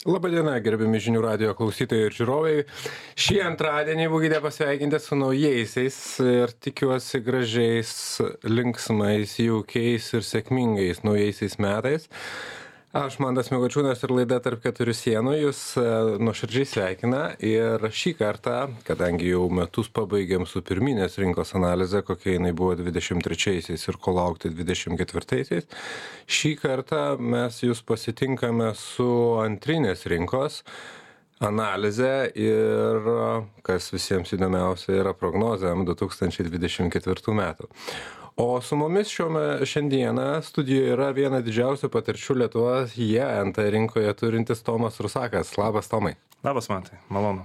Labadiena, gerbiami žinių radijo klausytojai ir žiūrovai. Šį antradienį būkite pasveikinti su naujaisiais ir tikiuosi gražiais, linksmais, jaukiais ir sėkmingais naujaisiais metais. Aš Mantas Mikočiūnas ir laida Tarp keturių sienų jūs nuoširdžiai sveikina ir šį kartą, kadangi jau metus pabaigėm su pirminės rinkos analize, kokia jinai buvo 23-aisiais ir ko laukti 24-aisiais, šį kartą mes jūs pasitinkame su antrinės rinkos analizę ir, kas visiems įdomiausia, yra prognozėm 2024 metų. O su mumis šiandieną studijoje yra viena didžiausių patirčių Lietuvoje NT rinkoje turintis Tomas Rusakas. Labas, Tomai. Labas, Mantai. Malonu.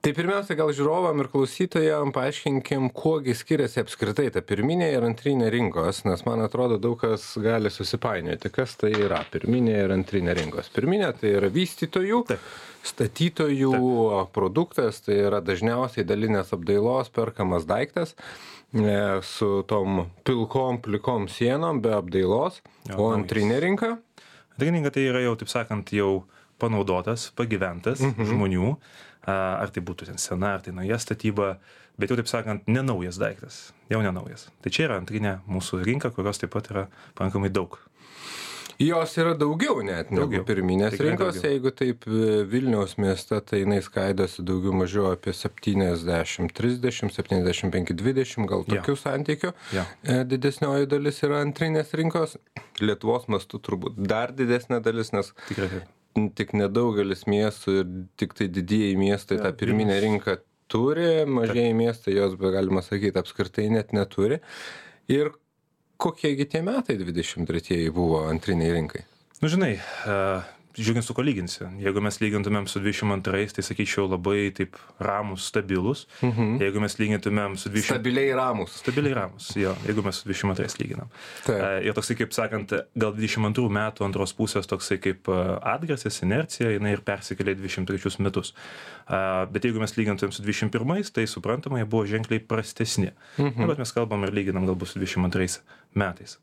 Tai pirmiausia, gal žiūrovam ir klausytojam paaiškinkim, kuogi skiriasi apskritai ta pirminė ir antrinė rinkos, nes man atrodo daug kas gali susipainioti, kas tai yra pirminė ir antrinė rinkos. Pirminė tai yra vystytojų, statytojų produktas, tai yra dažniausiai dalinės apdailos perkamas daiktas su tom pilkom, plikom sienom be apdailos, o antrinė rinka? Antrinė rinka tai yra jau, taip sakant, jau panaudotas, pagyventas žmonių, ar tai būtų ten sena, ar tai nauja statyba, bet jau, taip sakant, nenaujas daiktas, jau nenaujas. Tai čia yra antrinė mūsų rinka, kurios taip pat yra pakankamai daug. Jos yra daugiau net negu pirminės rinkos, daugiau. Jeigu taip Vilniaus mieste, tai jinai skaidosi daugiau mažiau apie 70-30, 75-20, gal tokių santykių. Didesnioji dalis yra antrinės rinkos, Lietuvos mastu turbūt dar didesnė dalis, nes tik nedaugelis miestų ir tik tai didieji miestai tą pirminę rinką turi, mažieji miestai jos, galima sakyti, apskritai net neturi. Ir kokiegi tie metai 23-ieji buvo antriniai rinkai? Nu, žinai, žiūrint su ko lyginsi. Jeigu mes lygintumėm su 22-ais, tai sakyčiau labai taip ramus, stabilus. Jeigu mes lygintumėm su 20... Stabiliai ramus. Stabiliai ramus, jo, jeigu mes su 22-ais lyginam. Ir toksai, kaip sakant, gal 22 metų antros pusės toksai kaip atgarsis, inercija, jinai ir persikėlė 23 metus. Bet jeigu mes lygintumėm su 21-ais, tai suprantama, jie buvo ženkliai prastesni. Bet mes kalbam ir lyginam galbūt su 22 metais.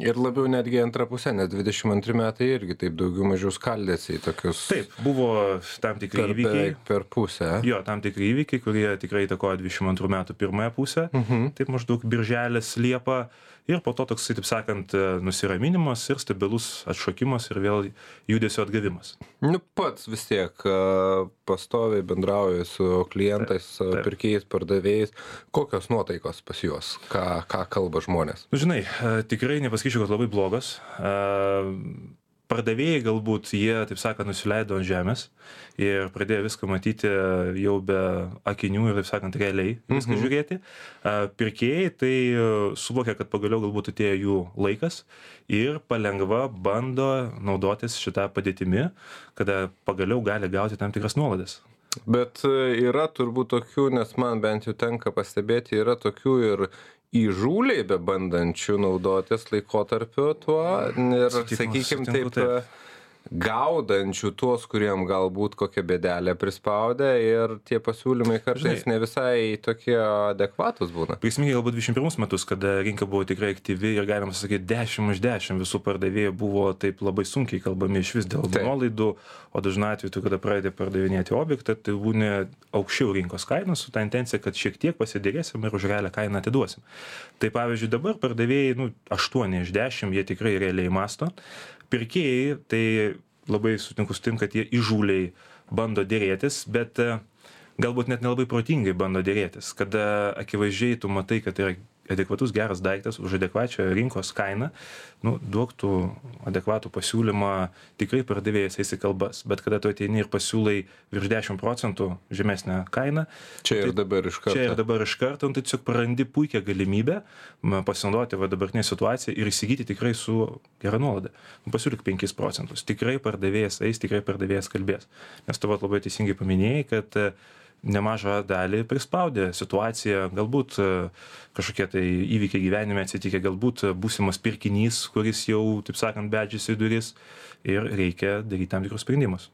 Ir labiau netgi antrą pusę, nes 22 metai irgi taip daugiau mažiau skaldėsi į tokius... Taip, buvo tam tikri įvykiai. Per pusę. Jo, tam tikri įvykiai, kurie tikrai įtakojo 22 metų pirmąją pusę. Taip maždaug birželis, liepa. Ir po to toks, taip sakant, nusiraminimas ir stabilus atšokimas ir vėl judesio atgavimas. Nu, pats vis tiek pastoviai bendrauji su klientais, pirkėjais, pardavėjais. Kokios nuotaikos pas juos? Ką kalba žmonės? Nu, žinai, tikrai nepasakyčiau, kad labai blogas. Pardavėjai galbūt jie, taip sakant, nusileido ant žemės ir pradėjo viską matyti jau be akinių ir, taip sakant, realiai viską žiūrėti. Pirkėjai tai suvokia, kad pagaliau galbūt atėjo jų laikas ir palengva bando naudotis šitą padėtimi, kada pagaliau gali gauti tam tikras nuolaidas. Bet yra turbūt tokių, nes man bent jau tenka pastebėti, yra tokių ir įžūliai bebandančių naudotis laikotarpiu tuo ir, sakykime, taip gaudančių tuos, kuriem galbūt kokią bėdelę prispaudė ir tie pasiūlymai kartais ne visai tokie adekvatus būna. Prisiminkime galbūt 21 metus, kada rinka buvo tikrai aktyvi ir galima sakyti 10 iš 10 visų pardavėjų buvo taip labai sunkiai kalbami iš vis dėl nuolaidų, o dažnai atveju, kada pradedi pardavinėti objektą, tai būna aukščiau rinkos kainos su ta intencija, kad šiek tiek pasidėrėsim ir už realią kainą atiduosim. Tai pavyzdžiui dabar pardavėjai 8 iš 10 jie tikrai realiai masto. Pirkėjai, tai labai sutinku su tim, kad jie įžūliai bando dėrėtis, bet galbūt net nelabai protingai bando dėrėtis, kada akivaizdžiai tu matai, kad tai yra adekvatus geras daiktas už adekvačią rinkos kainą, duok tu adekvatų pasiūlymą, tikrai pardavėjas eis į kalbas, bet kada tu ateini ir pasiūlai virš 10% žemesnę kainą, čia ir dabar iš karto, tai tiesiog prarandi puikią galimybę pasinaudoti dabartinę situaciją ir įsigyti tikrai su gera nuolaida. Pasiūlyk 5%, tikrai pardavėjas eis, tikrai pardavėjas kalbės, nes tu labai teisingai paminėjai, kad nemažą dalį prispaudė situacija, galbūt kažkokie tai įvykiai gyvenime atsitikę, galbūt būsimas pirkinys, kuris jau, taip sakant, beldžiasi į duris ir reikia daryti tam tikrus sprendimus.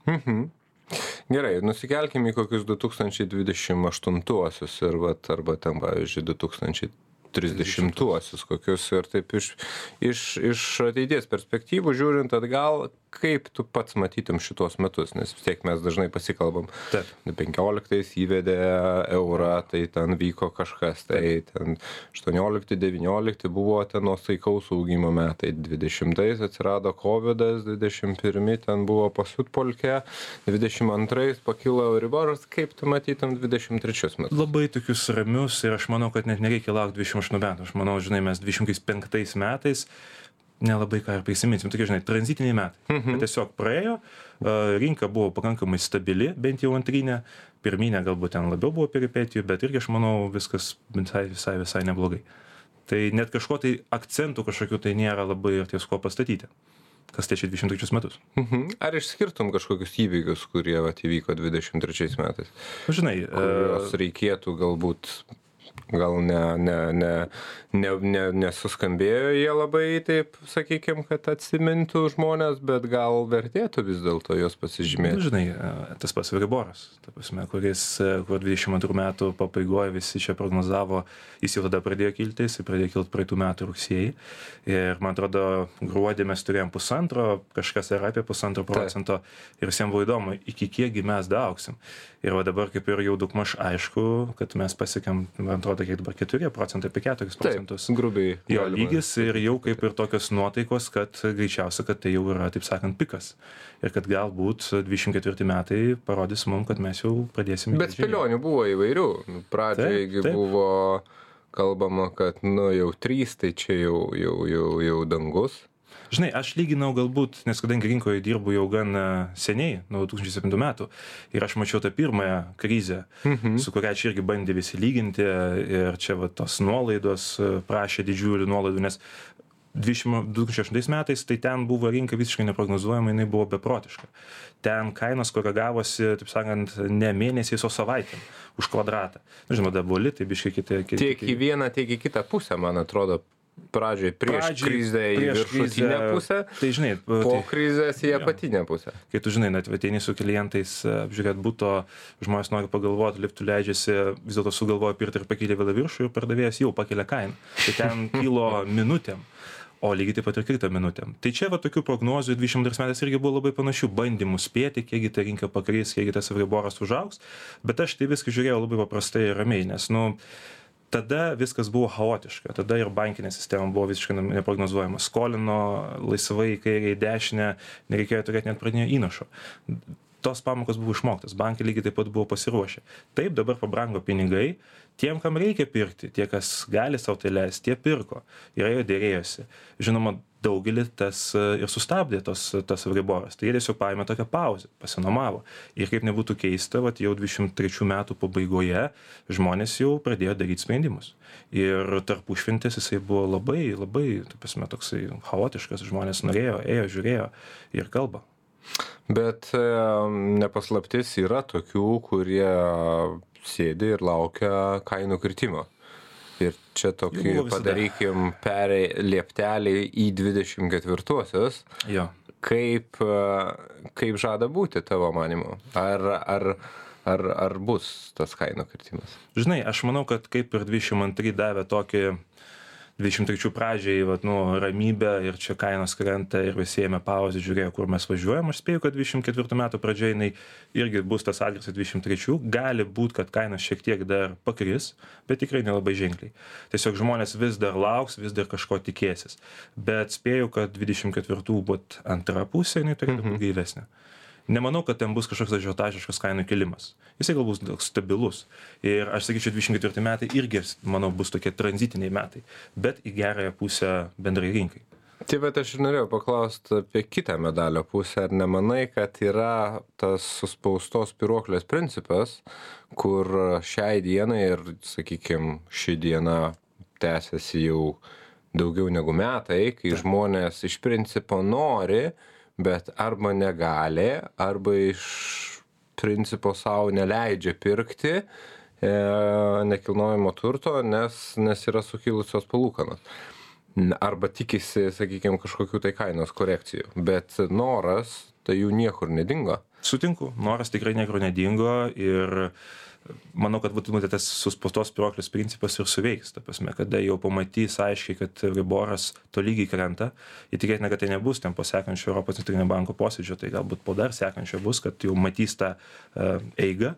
Gerai, nusikelkime į kokius 2028-uosius ir arba ten, pavyzdžiui, 2030-uosius kokius ir taip iš ateities perspektyvų žiūrint atgal, kaip tu pats matytum šitos metus, nes vis tiek mes dažnai pasikalbam. Taip. 15 įvedė eurą, tai ten vyko kažkas, tai ten 18-19 buvo ten nuosaikaus augimo metai, 20 atsirado COVID-as, 21 ten buvo pasiutpolkė, 22 pakilo Euriboras, kaip tu matytum 23 metus? Labai tokius ramius ir aš manau, kad net nereikia laukti 28 metų. Aš manau, žinai, mes 25 metais nelabai ką ir prisiminsim, tokie, žinai, tranzitiniai metai. Tiesiog praėjo, rinka buvo pakankamai stabili, bent jau antrinė, pirminė galbūt ten labiau buvo peripetijų, bet irgi aš manau viskas visai neblogai. Tai net kažko tai akcentų kažkokių tai nėra labai ir ties ko pastatyti. Kas tai 23 metus. Ar išskirtum kažkokius įvykius, kurie įvyko 23 metais? Žinai, kurios reikėtų galbūt gal nesuskambėjo jie labai, taip sakykim, kad atsimintų žmonės, bet gal vertėtų vis dėlto jos pasižymėti. Žinai, tas pats Euriboras, kur 22 metų pabaigoje visi čia prognozavo, jis jau tada pradėjo kilti, jis pradėjo kilti praeitų metų rugsėjį. Ir man atrodo, gruodį mes turėjom 1,5, kažkas yra apie 1,5% ir visiems buvo įdomu, iki kiekgi mes daaugsim. Ir dabar kaip ir jau daugmaž aišku, kad mes pasiekėm, man atrodo, kiek dabar 4%, apie 4%. Taip, grubiai. Jo lygis ir jau kaip ir tokios nuotaikos, kad greičiausia, kad tai jau yra, taip sakant, pikas. Ir kad galbūt 24 metai parodys mums, kad mes jau pradėsim. Bet spėlionių buvo įvairių. Pradžioje buvo kalbama, kad jau 3, tai čia jau dangus. Žinai, aš lyginau galbūt, nes kadangi rinkoje dirbu jau gan seniai, nuo 2007 metų, ir aš mačiau tą pirmąją krizę, su kuria čia irgi bandė visi lyginti, ir čia tos nuolaidos prašė didžiulių nuolaidų, nes 2008 metais tai ten buvo rinka visiškai neprognozuojama, jinai buvo beprotiška. Ten kainos koregavosi, taip sakant, ne mėnesiais, o savaitėm už kvadratą. Žinoma, dabar buvo litai, biškai kiti. Tiek į vieną, tiek į kitą pusę, man atrodo. Pradžiai prieš krizę į viršutinę pusę, tai žinai, po krizės į apatinę pusę. Kai tu žinai, net ateini su klientais apžiūrėt buto, žmonės nori pagalvoti, liftų leidžiasi, vis dėlto sugalvoja pirkti ir pakėlė vėlą viršų ir pardavėjas jau pakelia kainą. Tai ten kilo minutėm, o lygiai taip pat ir krito minutėm. Tai čia tokių prognozių 22 metais irgi buvo labai panašių bandymų spėti, kiekgi ta rinka pakris, kiekgi tas Euriboras užaugs, bet aš tai viską žiūrėjau labai paprastai ir ramiai, nes tada viskas buvo chaotiška, tada ir bankinė sistema buvo visiškai neprognozuojama. Skolino laisvai į kairę, į dešinę, nereikėjo turėti net pradinio įnašo. Tos pamokos buvo išmoktas, bankai lygiai taip pat buvo pasiruošę. Taip, dabar pabrango pinigai, tiem, kam reikia pirkti, tie, kas gali sau tai leisti, tie pirko ir jie dėrėjosi. Žinoma, daugelį tas ir sustabdė tas Euriboras. Tai jie tiesiog paėmė tokią pauzę, pasinomavo. Ir kaip nebūtų keista, jau 23 metų pabaigoje žmonės jau pradėjo daryti sprendimus. Ir tarpušventės jisai buvo labai, taip prasme, toksai chaotiškas, žmonės norėjo, ėjo, žiūrėjo ir kalba. Bet nepaslaptis yra tokių, kurie sėdi ir laukia kainų kritimo. Ir čia tokį padarykim lieptelį į 24-osios. Jo. Kaip žada būti tavo manymu? Ar bus tas kainų kritimas? Žinai, aš manau, kad kaip ir 22 davė tokį 23 pradžiai ramybę ir čia kainos krenta ir visi ėmė pauzę, žiūrėjo, kur mes važiuojam. Aš spėju, kad 24 metų pradžiai jinai irgi bus tas atgarsis 23. Gali būti, kad kainos šiek tiek dar pakris, bet tikrai nelabai ženkliai. Tiesiog žmonės vis dar lauks, vis dar kažko tikėsis. Bet spėju, kad 24 būt antra pusė, jinai turėtų būti gaivesnė. Nemanau, kad ten bus kažkoks ažiotažiškas kainų kilimas. Jisai galbūt bus stabilus. Ir aš sakyčiau, 24 metai irgi, manau, bus tokie tranzitiniai metai, bet į gerąją pusę bendrai rinkai. Tai bet aš ir norėjau paklausti apie kitą medalio pusę. Ar nemanai, kad yra tas suspaustos spyruoklės principas, kur šiai dienai ir, sakykime, ši diena tęsiasi jau daugiau negu metai, kai žmonės iš principo nori, bet arba negali, arba iš principo savo neleidžia pirkti nekilnojamo turto, nes yra sukilusios palūkanos. Arba tikisi, sakykime, kažkokių tai kainos korekcijų. Bet noras, tai jų niekur nedingo. Sutinku, noras tikrai niekur nedingo ir manau, kad tas suspaustos spyruoklės principas ir suveiks, ta prasme, kada jau pamatys aiškiai, kad Euriboras tolygiai krenta, įtikėtina, kad tai nebus ten po sekančio Europos centrinio banko posėdžio, tai galbūt po dar sekančio bus, kad jau matys tą eigą,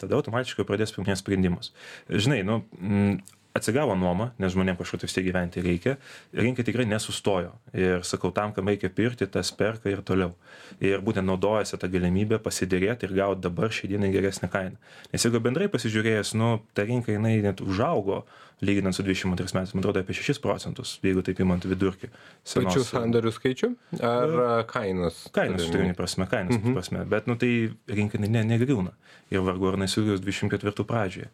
tada automatiškai pradės priiminėti sprendimus. Žinai, atsigavo nuoma, nes žmonėms kažkur vis tiek gyventi reikia, rinka tikrai nesustojo. Ir sakau, tam, kam reikia pirkti, tas perka ir toliau. Ir būtent naudojasi tą galimybę pasidėrėti ir gauti dabar šiai dienai geresnę kainą. Nes jeigu bendrai pasižiūrėjęs, ta rinka jinai net užaugo, lyginant su 22 metais, man atrodo, apie 6%, jeigu taip imant vidurkį. Pačių sandorių skaičių ar kainos? Kainos, prasme. Bet tai rinka negriūna. Ir vargu ar nesugrius 24 pradžioje.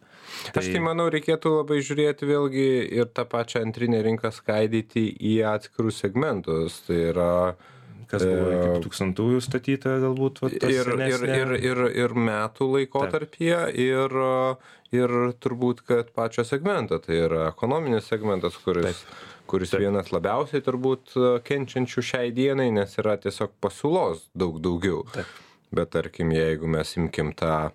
Aš tai manau, reikėtų labai žiūrėti vėlgi ir tą pačią antrinę rinką skaidyti į atskirus segmentus. Tai yra kas buvo iki 2000-ųjų statyta galbūt ir metų laikotarpyje ir turbūt, kad pačio segmento. Tai yra ekonominis segmentas, kuris vienas labiausiai turbūt kenčiančių šiai dienai, nes yra tiesiog pasiūlos daugiau. Bet tarkim, jeigu mes imkim tą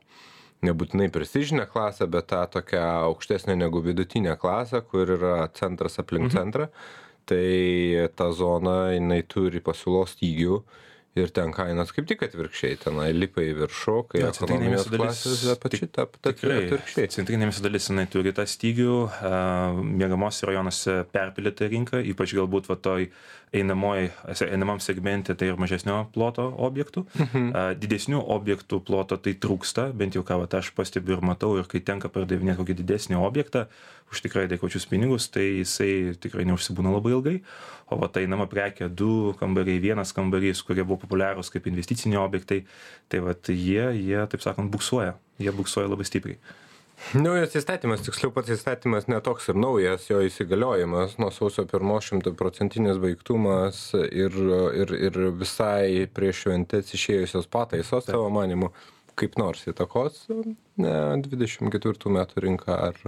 nebūtinai prestižinę klasę, bet tą tokią aukštesnę negu vidutinę klasę, kur yra centras aplink centrą, tai ta zona, jinai turi pasiūlos stygių ir ten kainos kaip tik atvirkščiai, tenai lipa į viršų, kai ekonominės klasės atvirkščiai. Centrinėmis dalis jinai turi tą stygių, miegamose rajonuose perpildyta rinka, ypač galbūt toj einamam segmente tai ir mažesnio ploto objektų. Didesnių objektų ploto tai trūksta, bent jau ką aš pastebiu ir matau, ir kai tenka pardavinėti kokį didesnį objektą už tikrai adekvačius pinigus, tai jisai tikrai neužsibūna labai ilgai. O einama prekė 2 kambariai, 1 kambarys, kurie buvo populiarūs kaip investiciniai objektai, tai jie, taip sakant, buksuoja. Jie buksuoja labai stipriai. Naujas įstatymas, tiksliau pats įstatymas netoks ir naujas, jo įsigaliojimas nuo sausio 1 100% baigtumas ir visai prieš šventes išėjusios pataisos, savo manimu, kaip nors įtakos 24 metų rinką ar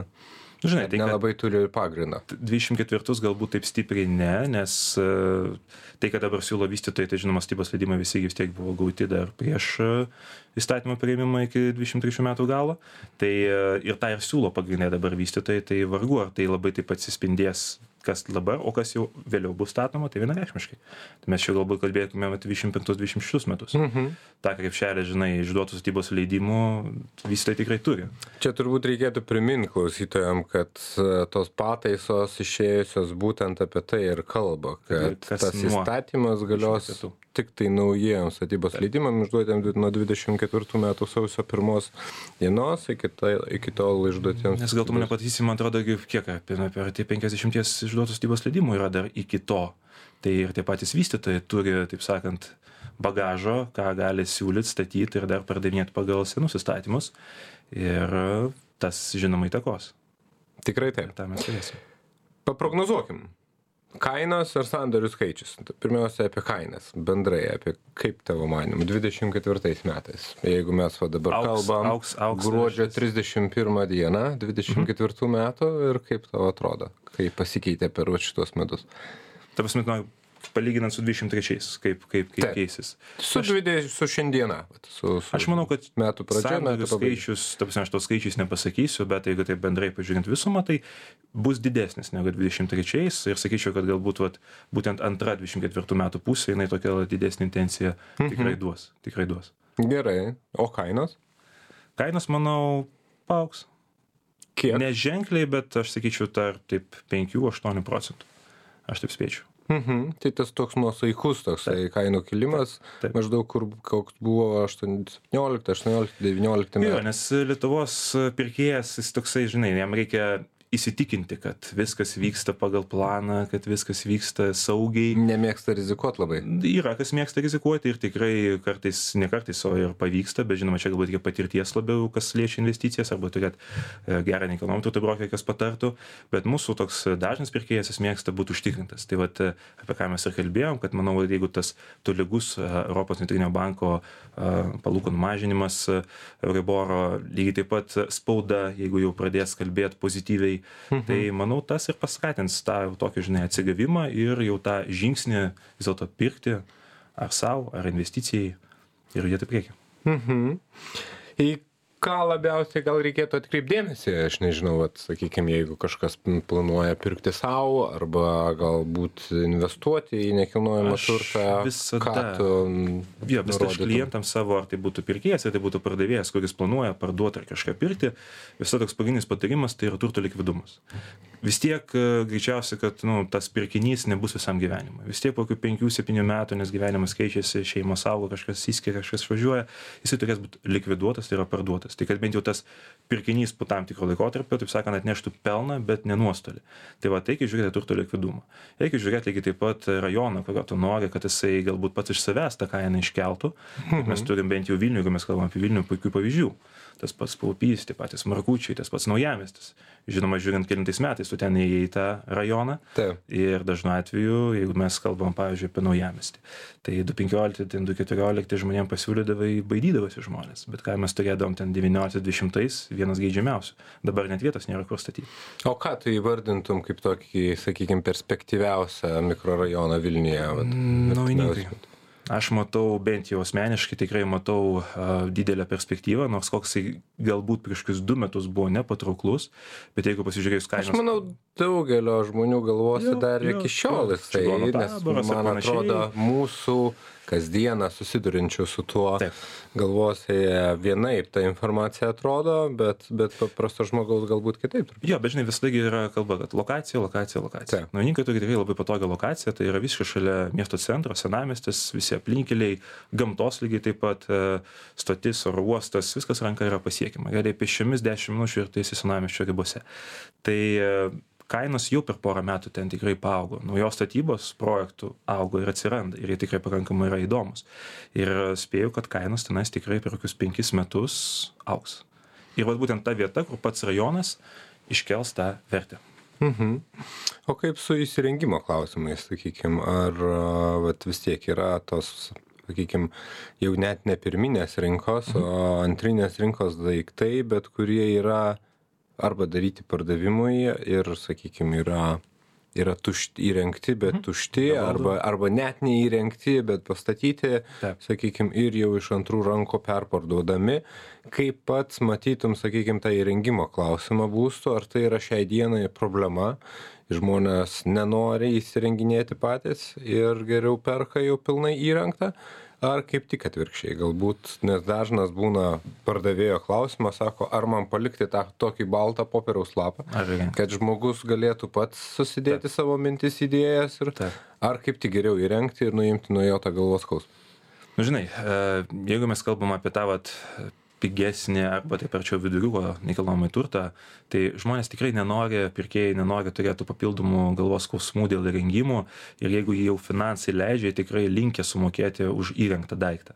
Žinai, tai nelabai turi pagrindą. 24 galbūt taip stipriai ne, nes tai, kad dabar siūlo vystytojai, tai žinoma, statybos leidimai visi vis tiek buvo gauti dar prieš įstatymo priėmimą iki 23 metų galo. Tai ir tą ir siūlo pagrindinė dabar vystytojai, tai vargu, ar tai labai taip atsispindės kas dabar, o kas jau vėliau bus statoma, tai vienareikšmiškai. Tai mes čia galbūt kalbėtume 25-26 metus. Ta krepšelė, žinai, išduotų statybos leidimų vystytojai tikrai turi. Čia turbūt reikėtų priminti klausytojam, kad tos pataisos išėjusios būtent apie tai ir kalba, kad tas įstatymas galios tik tai naujiems statybos leidimams išduotėm nuo 24 metų sausio 1 dienos iki tol išduotėms. Nes gal tu mane pataisysi, man atrodo, kiek apie 50 išduotų statybos leidimų yra dar iki to. Tai ir tie patys vystytojai turi, taip sakant, bagažo, ką gali siūlyti, statyti ir dar pardavinėti pagal senus įstatymus. Ir tas, žinoma, įtakos. Tikrai taip. Ta mes turėsim. Paprognozuokim. Kainos ir sandorių skaičius. Pirmiausia, apie kainas. Bendrai, apie kaip tavo manimu 24 metais. Jeigu mes dabar kalbam gruodžio 31 dieną 24 metų ir kaip tau atrodo, kaip pasikeitė per šitos metus. Ta prasme, palyginant su 23-ais, kaip keisis. Su šiandieną. Aš manau, kad metų pradžia, sandorių skaičius, ta prasme, aš tos skaičiais nepasakysiu, bet jeigu taip bendrai pažiūrint visumą, tai bus didesnis negu 23-ais ir sakyčiau, kad galbūt būtent antra 24 metų pusė, jinai tokia didesnė intencija tikrai duos. Gerai. O kainos? Kainos, manau, paaugs. Kiek? Neženkliai, bet aš sakyčiau, tarp 5-8%. Aš taip spėčiau. Tai tas toks nuosaikus kainų kilimas, maždaug koks buvo 18, 19 metų. Nes Lietuvos pirkėjas, jis toksai, žinai, jam reikia įsitikinti, kad viskas vyksta pagal planą, kad viskas vyksta saugiai. Nemėgsta rizikuoti labai. Yra, kas mėgsta rizikuoti ir tikrai ne kartais, o ir pavyksta, bet žinoma, čia galbūt reikia patirties labiau, kas liečia investicijas, arba turėti gerą nekilnojamą turto brokerį, kas patartų, bet mūsų toks dažnas pirkėjas, jis mėgsta būti užtikrintas. Tai apie ką mes ir kalbėjom, kad manau, jeigu tas tolygus Europos centrinio banko palūkanų mažinimas, Euriboro, lygiai taip pat spauda, jeigu jau pradės kalbėti pozityviai, tai manau, tas ir paskatins tą tokį, žinai, atsigavimą ir jau tą žingsnį vis dėlto pirkti ar savo, ar investicijai ir judėti priekį. ką labiausiai gal reikėtų atkreipti dėmesį, aš nežinau, sakykime, jeigu kažkas planuoja pirkti savo arba galbūt investuoti į nekilnojamą turtą, ką tu visada klientams savo, ar tai būtų pirkėjas, ar tai būtų pardavėjas, kuris planuoja parduoti ar kažką pirkti, visada toks pagrindinis patarimas tai yra turto likvidumas. Vis tiek greičiausiai, kad tas pirkinys nebus visam gyvenimui. Vis tiek po 5-7 metų, nes gyvenimas keičiasi, šeimos auga, kažkas įskiria, kažkas važiuoja, jisai turės būti likviduotas, tai yra parduotas. Tai kad bent jau tas pirkinys po tam tikro laikotarpio, taip sakant, atneštų pelną, bet ne nuostolį. Tai reikia žiūrėti turto likvidumą. Reikia žiūrėti lygiai taip pat rajoną, kurio tu nori, kad jisai galbūt pats iš savęs tą kainą iškeltų. Mes turim bent jau Vilnių, jeigu mes kalbam apie Vilnių, puikių pavyzdžių. Tas pats Paupys, tie patys Markučiai, tas pats Naujamiestis. Žinoma, žiūrint kelintais metais, tu ten įėjai į tą rajoną. Taip. Ir dažnu atveju, jeigu mes kalbam, pavyzdžiui, apie Naujamiestį, tai 2015, 2014 žmonėms pasiūlydavai, baidydavosi žmonės. Bet ką mes turėdavom ten 19-20, vienas geidžiamiausių. Dabar net vietos nėra kur statyti. O ką tu įvardintum kaip tokį, sakykime, perspektyviausią mikrorajoną Vilniuje? Naujininkai. Aš matau, bent jau asmeniškai, tikrai matau didelę perspektyvą, nors koksai galbūt prieš 2 metus buvo nepatrauklus, bet jeigu pasižiūrėjus kainos... Aš manau, daugelio žmonių galvose dar iki šiol jisai, nes man atrodo, mūsų kasdieną susidurinčių su tuo galvose vienaip ta informacija atrodo, bet paprasto žmogaus galbūt kitaip. Jo, bet žinai, visada yra kalba, kad lokacija. Naujininkai turi tikrai labai patogią lokaciją, tai yra visiškai šalia miesto centro, senamiestis, visi aplinkeliai, gamtos lygiai taip pat, stotis, oro uostas, viskas ranka yra pasiekima. Realiai pėsčiomis 10 minučių ir tai esi senamiesčio ribose. Tai kainos jau per porą metų ten tikrai paaugo. Naujos statybos projektų augo ir atsiranda. Ir jie tikrai pakankamai yra įdomus. Ir spėju, kad kainos tenais tikrai per kokius 5 metus augs. Ir būtent ta vieta, kur pats rajonas iškels tą vertę. O kaip su įsirengimo klausimais, sakykime, ar vis tiek yra tos, sakykime, jau net ne pirminės rinkos, o antrinės rinkos daiktai, bet kurie yra arba daryti pardavimui ir, sakykime, yra įrengti, bet tušti, arba net neįrengti, bet pastatyti, sakykime, ir jau iš antrų rankų perparduodami. Kaip pats matytum, sakykime, tą įrengimo klausimą būstų, ar tai yra šiai dienai problema, žmonės nenori įsirenginėti patys ir geriau perka jau pilnai įrengtą, ar kaip tik atvirkščiai, galbūt, nes dažnas būna pardavėjo klausimas, sako, ar man palikti tą tokį baltą popieriaus lapą, kad žmogus galėtų pats susidėti savo mintis, idėjas, ir ar kaip tik geriau įrengti ir nuimti nuo jo tą galvos skausmą. Žinai, jeigu mes kalbam apie tą pigesnį arba taip arčiau viduriuko nekilnojamąjį turtą, tai žmonės tikrai nenori, pirkėjai nenori turėti papildomų galvos skausmų dėl įrengimų ir jeigu jau finansai leidžia, tikrai linkę sumokėti už įrengtą daiktą.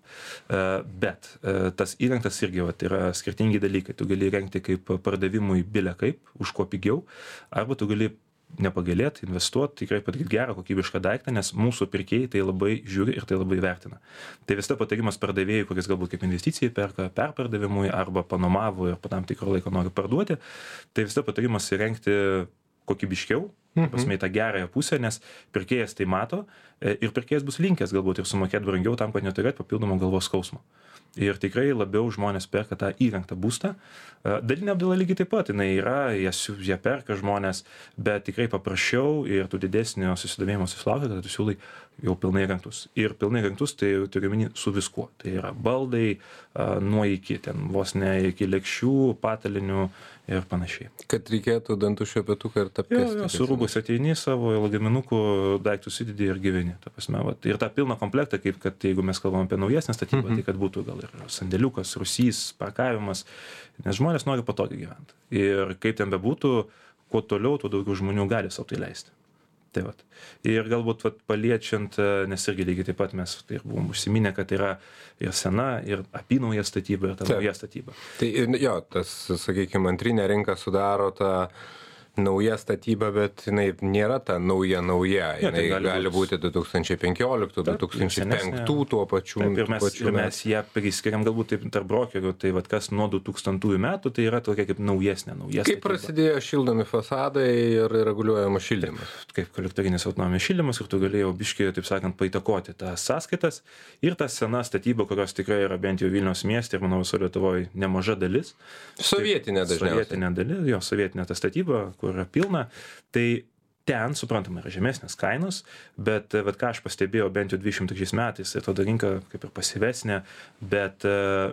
Bet tas įrengtas irgi yra skirtingi dalykai. Tu gali įrengti kaip pardavimui bile kaip, už ko pigiau, arba tu gali nepagailėti, investuoti, tikrai padaryti gerą kokybišką daiktą, nes mūsų pirkėjai tai labai žiūri ir tai labai vertina. Tai visada patarimas pardavėjui, kuris galbūt kaip investicijai perka perpardavimui arba panomavo ir po tam tikro laiko nori parduoti, tai visada patarimas įrengti kokybiškiau, pasmei tą gerąją pusę, nes pirkėjas tai mato ir pirkėjas bus linkęs galbūt ir sumokėti brangiau tam, kad neturėtų papildomą galvos skausmo. Ir tikrai labiau žmonės perka tą įrengtą būstą. Dalinė apdaila lygiai taip pat, jinai yra, jie perka žmonės, bet tikrai paprasčiau ir tų didesnio susidomėjimo susilaukia, kad tu siūlai jau pilnai įrengtus. Ir pilnai įrengtus tai turiu omeny su viskuo. Tai yra baldai nuo iki, ten vos ne iki lėkščių, patalinių ir panašiai. Kad reikėtų dantų šepetuką ir tapkės. Jo, su rūbus ateini savo lagaminukų, daiktus įdedi ir gyveni. Ta prasme, ir tą pilną komplektą, kaip kad jeigu mes kalbam apie naujesnę statybą, tai kad būtų gal ir sandėliukas, rūsys, parkavimas, nes žmonės nori patogiai gyventi. Ir kaip ten bebūtų, kuo toliau, tuo daugiau žmonių gali savo tai leisti. Tai vat. Ir galbūt paliečiant, nes irgi lygiai taip pat mes tai buvom užsiminę, kad yra ir sena, ir apynauja statyba, ir ta nauja statyba. Tai jo, tas, sakykime, antrinė rinka sudaro tą nauja statyba, bet jinai nėra ta nauja. Jinai tai gali būti 2015, 2005 tuo pačiu. Ir mes ją priskiriam galbūt taip tarp brokerių, tai vat, kas nuo 2000 metų, tai yra tokia kaip naujesnė. Kaip prasidėjo šildomi fasadai ir reguliuojamas šildymas? Kaip kolektorinis autonominis šildymas ir tu galėjai biškį, taip sakant, paįtakoti tas sąskaitas ir ta sena statyba, kurios tikrai yra bent jau Vilniaus mieste ir manau viso Lietuvoje nemaža dalis. Sovietinė dažniausiai. Sovietinė dalis, jo sovietinė ta statyba, kur yra pilna, tai ten, suprantama, yra žemesnės kainos, bet ką aš pastebėjau bent jau 23 metais, tai tada rinka kaip ir pasyvesnė, bet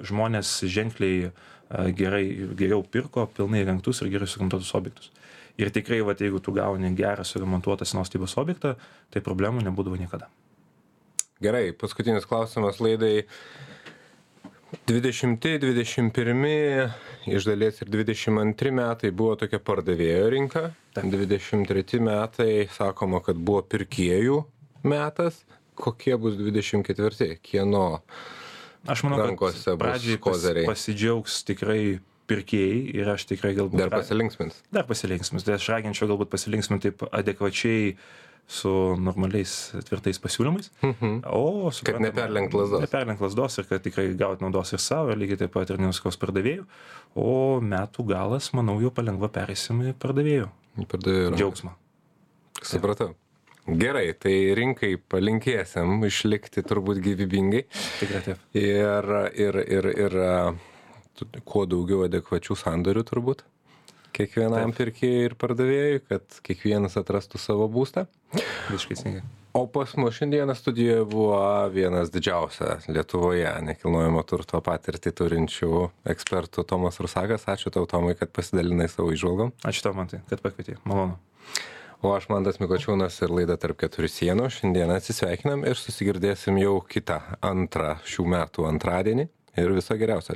žmonės ženkliai geriau pirko pilnai įrengtus ir gerai suremontuotus objektus. Ir tikrai, jeigu tu gauni gerą suremontuotą senos statybos objektą, tai problemų nebūdavo niekada. Gerai, paskutinis klausimas laidai. 20, 21, iš dalies ir 22 metai buvo tokia pardavėjo rinka, 23 metai sakoma, kad buvo pirkėjų metas, kokie bus 24, kieno aš manau, rankose bus kozeriai? Pasidžiaugs tikrai pirkėjai ir aš tikrai galbūt... Dar pasilinksmins. Tai aš raginčiau galbūt pasilinksminti taip adekvačiai su normaliais tvirtais pasiūlymais. O, kad neperlenkt lazdos. Neperlenkt lazdos ir kad tikrai gauti naudos ir savo, ir lygiai taip pat ir nenuskaus pardavėjų. O metų galas, manau, jau palengva perėsim į pardavėjų. Džiaugsmą. Supratau. Gerai, tai rinkai palinkėsim išlikti turbūt gyvybingai. Tikrai taip. Ir kuo daugiau adekvačių sandorių turbūt. Kiekvienam pirkėjui ir pardavėjui, kad kiekvienas atrastų savo būstą. Visiškai. O pas mus šiandieną studijoje buvo vienas didžiausia Lietuvoje nekilnojamo turto patirtį turinčių ekspertų Tomas Rusakas. Ačiū tau, Tomai, kad pasidalinai savo įžvalgom. Ačiū tau, Mantai, kad pakvietei. Malonu. O aš Mantas Mikočiūnas ir laida Tarp keturių sienų. Šiandieną atsisveikinam ir susigirdėsim jau kitą antrą šių metų antradienį. Ir viso geriausio.